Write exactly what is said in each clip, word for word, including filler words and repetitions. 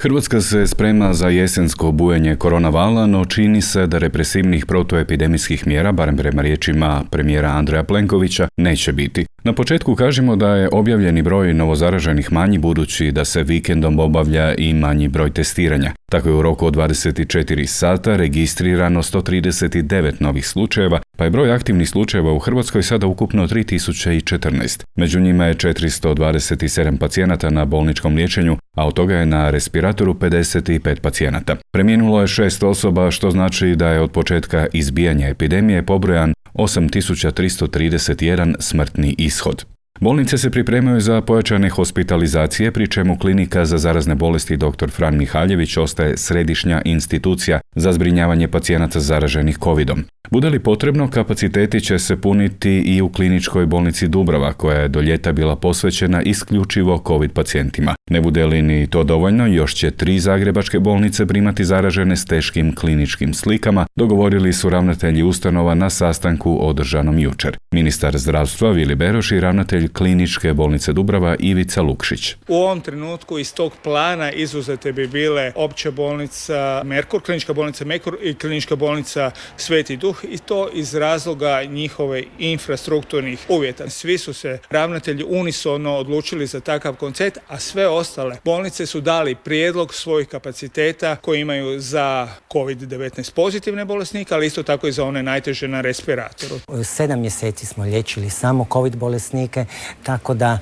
Hrvatska se sprema za jesensko bujanje koronavala, no čini se da represivnih protuepidemijskih mjera, barem prema riječima premijera Andreja Plenkovića, neće biti. Na početku kažemo da je objavljeni broj novozaraženih manji budući da se vikendom obavlja i manji broj testiranja. Tako je u roku od dvadeset četiri sata registrirano sto trideset devet novih slučajeva, pa je broj aktivnih slučajeva u Hrvatskoj sada ukupno tri tisuće četrnaest. Među njima je četiristo dvadeset sedam pacijenata na bolničkom liječenju, a od toga je na respiratoru pedeset pet pacijenata. Preminulo je šest osoba, što znači da je od početka izbijanja epidemije pobrojan osam tisuća tristo trideset jedan smrtni ishod. Bolnice se pripremaju za pojačane hospitalizacije, pri čemu klinika za zarazne bolesti doktor Fran Mihaljević ostaje središnja institucija za zbrinjavanje pacijenata zaraženih covidom. Bude li potrebno, kapaciteti će se puniti i u kliničkoj bolnici Dubrava, koja je do ljeta bila posvećena isključivo covid pacijentima. Ne bude li ni to dovoljno, još će tri zagrebačke bolnice primati zaražene s teškim kliničkim slikama, dogovorili su ravnatelji ustanova na sastanku održanom jučer. Ministar zdravstva Vili Beroš i ravnatelj kliničke bolnice Dubrava Ivica Lukšić. U ovom trenutku iz tog plana izuzete bi bile opća bolnica Merkur, klinička bolnica Merkur i klinička bolnica Sveti Duh, i to iz razloga njihove infrastrukturnih uvjeta. Svi su se ravnatelji unisono odlučili za takav koncept, a sve ostale bolnice su dali prijedlog svojih kapaciteta koji imaju za kovid devetnaest pozitivne bolesnike, ali isto tako i za one najteže na respiratoru. Sedam mjeseci smo liječili samo covid bolesnike, tako da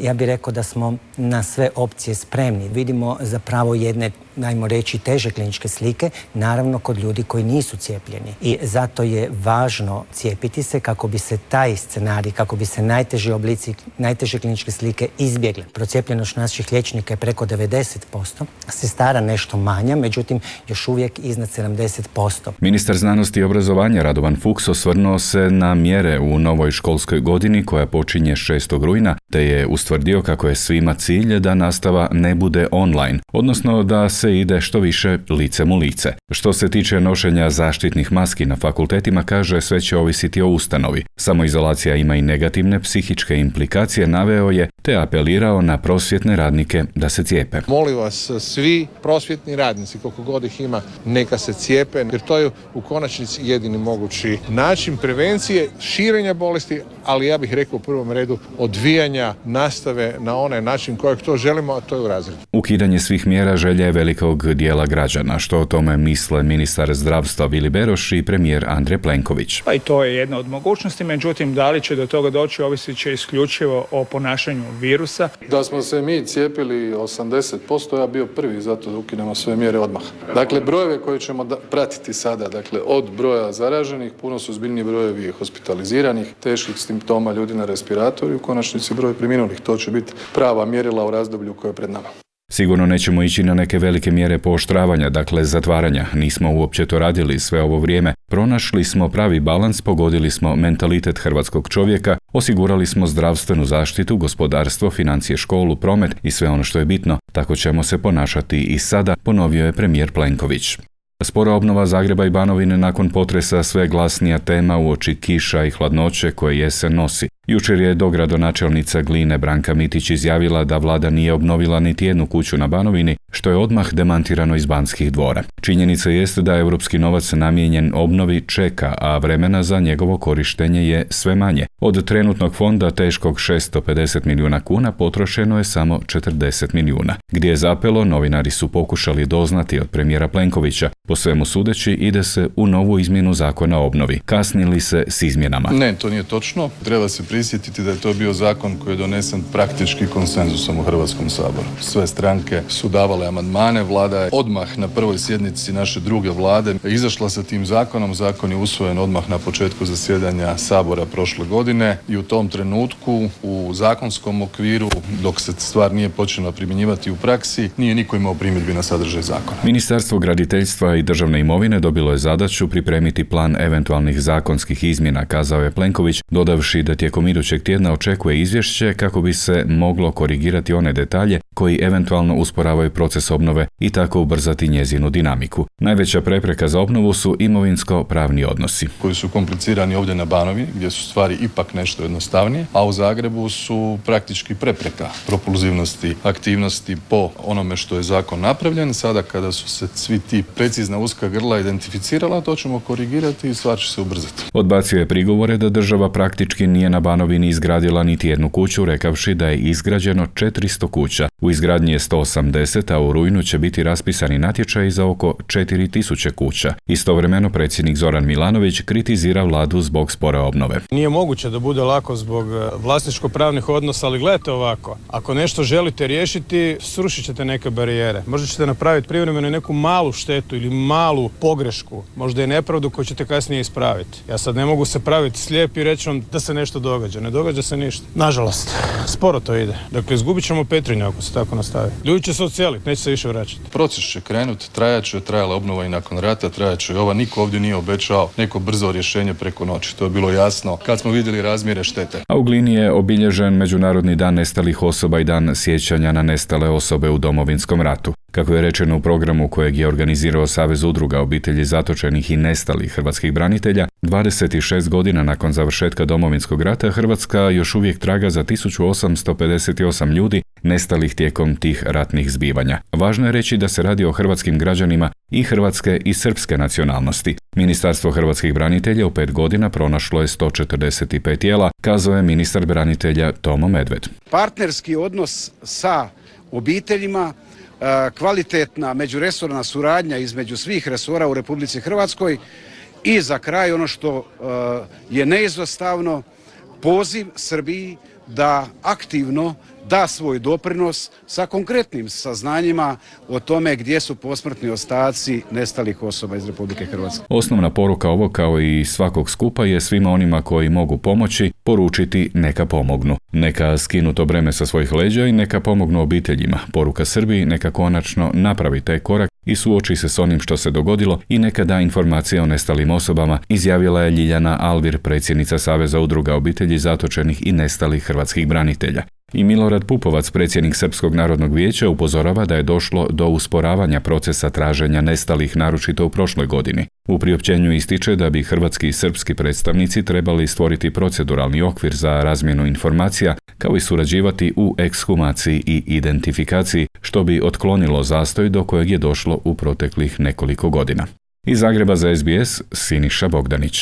ja bih rekao da smo na sve opcije spremni. Vidimo zapravo jedne, najmo reći, teže kliničke slike, naravno kod ljudi koji nisu cijepljeni. I zato je važno cijepiti se kako bi se taj scenarij, kako bi se najteži oblici, najteže kliničke slike izbjegle. Procijepljenost naših liječnika je preko devedeset posto, sestara nešto manja, međutim još uvijek iznad sedamdeset posto. Ministar znanosti i obrazovanja Radovan Fuchs osvrnuo se na mjere u novoj školskoj godini koja počinje šestog rujna, te je ustvrdio kako je svima cilj da nastava ne bude online, odnosno da se ide što više licem u lice. Što se tiče nošenja zaštitnih maski na fakultetima, kaže, sve će ovisiti o ustanovi. Samoizolacija ima i negativne psihičke implikacije, naveo je, te apelirao na prosvjetne radnike da se cijepe. Molim vas, svi prosvjetni radnici, koliko god ih ima, neka se cijepe, jer to je u konačnici jedini mogući način prevencije, širenja bolesti, ali ja bih rekao u prvom redu odvijanja nastave na onaj način kojeg to želimo, a to je u razredu. Ukidanje svih mjera želja je velikog dijela građana, što o tome misle ministar zdravstva Vili Beroš i premijer Andrej Plenković. Pa i to je jedna od mogućnosti, međutim, da li će do toga doći ovisit će isključivo o ponašanju virusa. Da smo se mi cijepili osamdeset posto, ja bio prvi, zato da ukinemo sve mjere odmah. Dakle, brojeve koje ćemo da, pratiti sada, dakle, od broja zaraženih, puno su zbiljniji brojevi hospitaliziranih, teških simptoma ljudi na respiratoru i u konačnici broj preminulih. To će biti prava mjerila u razdoblju koje je pred nama. Sigurno nećemo ići na neke velike mjere pooštravanja, dakle zatvaranja. Nismo uopće to radili sve ovo vrijeme. Pronašli smo pravi balans, pogodili smo mentalitet hrvatskog čovjeka, osigurali smo zdravstvenu zaštitu, gospodarstvo, financije, školu, promet i sve ono što je bitno. Tako ćemo se ponašati i sada, ponovio je premijer Plenković. Spora obnova Zagreba i Banovine nakon potresa sve glasnija tema uoči kiša i hladnoće koje jesen nosi. Jučer je dogradonačelnica Gline Branka Mitić izjavila da vlada nije obnovila niti jednu kuću na Banovini, što je odmah demantirano iz Banskih dvora. Činjenica jest da europski novac namijenjen obnovi čeka, a vremena za njegovo korištenje je sve manje. Od trenutnog fonda teškog šesto pedeset milijuna kuna potrošeno je samo četrdeset milijuna. Gdje je zapelo, novinari su pokušali doznati od premijera Plenkovića. Po svemu sudeći, ide se u novu izmjenu zakona o obnovi. Kasnili se s izmjenama. Ne, to nije točno. Treba se prisjetiti da je to bio zakon koji je donesen praktički konsenzusom u Hrvatskom saboru. Sve stranke su davale amandmane, vlada je odmah na prvoj sjednici naše druge vlade izašla sa tim zakonom. Zakon je usvojen odmah na početku zasjedanja sabora prošle godine i u tom trenutku u zakonskom okviru, dok se stvar nije počela primjenjivati u praksi, nije niko imao primjedbi na sadržaj zakona. Ministarstvo graditeljstva i državne imovine dobilo je zadaću pripremiti plan eventualnih zakonskih izmjena, kazao je Plenković, dodavši da tijekom idućeg tjedna očekuje izvješće kako bi se moglo korigirati one detalje koji eventualno usporavaju proces obnove i tako ubrzati njezinu dinamiku. Najveća prepreka za obnovu su imovinsko-pravni odnosi. Koji su komplicirani ovdje na Banovini, gdje su stvari ipak nešto jednostavnije, a u Zagrebu su praktički prepreka propulzivnosti aktivnosti po onome što je zakon napravljen. Sada kada su se svi ti precizna uska grla identificirala, to ćemo korigirati i stvar će se ubrzati. Odbacio je prigovore da država praktički nije na Banovini izgradila niti jednu kuću, rekavši da je izgrađeno četiristo kuća. U izgradnji je sto osamdeset, a u rujnu će biti raspisani natječaji za oko četiri tisuće kuća. Istovremeno predsjednik Zoran Milanović kritizira vladu zbog spore obnove. Nije moguće da bude lako zbog vlasničko-pravnih odnosa, ali gledajte ovako. Ako nešto želite riješiti, srušit ćete neke barijere. Možda ćete napraviti privremeno neku malu štetu ili malu pogrešku, možda je nepravdu koju ćete kasnije ispraviti. Ja sad ne mogu se praviti slijep i reći vam da se nešto događa. Ne događa se ništa. Nažalost, sporo to ide. Dakle, izgubit ćemo Petrinju ako se tako nastavi. Ljudi će se odseliti, neće se više vraćati. Proces će krenuti, trajat će, trajala obnova i nakon rata, trajat će i ova. Niko ovdje nije obećao neko brzo rješenje preko noći. To je bilo jasno kad smo vidjeli razmjere štete. A u Glini je obilježen Međunarodni dan nestalih osoba i dan sjećanja na nestale osobe u Domovinskom ratu. Kako je rečeno u programu kojeg je organizirao Savez udruga obitelji zatočenih i nestalih hrvatskih branitelja, dvadeset šest godina nakon završetka Domovinskog rata Hrvatska još uvijek traga za tisuću osamsto pedeset osam ljudi nestalih tijekom tih ratnih zbivanja. Važno je reći da se radi o hrvatskim građanima i hrvatske i srpske nacionalnosti. Ministarstvo hrvatskih branitelja u pet godina pronašlo je sto četrdeset pet tijela, kazao je ministar branitelja Tomo Medved. Partnerski odnos sa obiteljima, kvalitetna međuresorna suradnja između svih resora u Republici Hrvatskoj i za kraj ono što je neizostavno, poziv Srbiji da aktivno da svoj doprinos sa konkretnim saznanjima o tome gdje su posmrtni ostaci nestalih osoba iz Republike Hrvatske. Osnovna poruka ovog kao i svakog skupa je svima onima koji mogu pomoći poručiti neka pomognu. Neka skinu to breme sa svojih leđa i neka pomognu obiteljima. Poruka Srbiji neka konačno napravi taj korak i suoči se s onim što se dogodilo i neka da informacije o nestalim osobama, izjavila je Ljiljana Alvir, predsjednica Saveza udruga obitelji zatočenih i nestalih hrvatskih branitelja. I Milorad Pupovac, predsjednik Srpskog narodnog vijeća, upozorava da je došlo do usporavanja procesa traženja nestalih, naročito u prošloj godini. U priopćenju ističe da bi hrvatski i srpski predstavnici trebali stvoriti proceduralni okvir za razmjenu informacija, kao i surađivati u ekshumaciji i identifikaciji, što bi otklonilo zastoj do kojeg je došlo u proteklih nekoliko godina. Iz Zagreba za S B S, Siniša Bogdanić.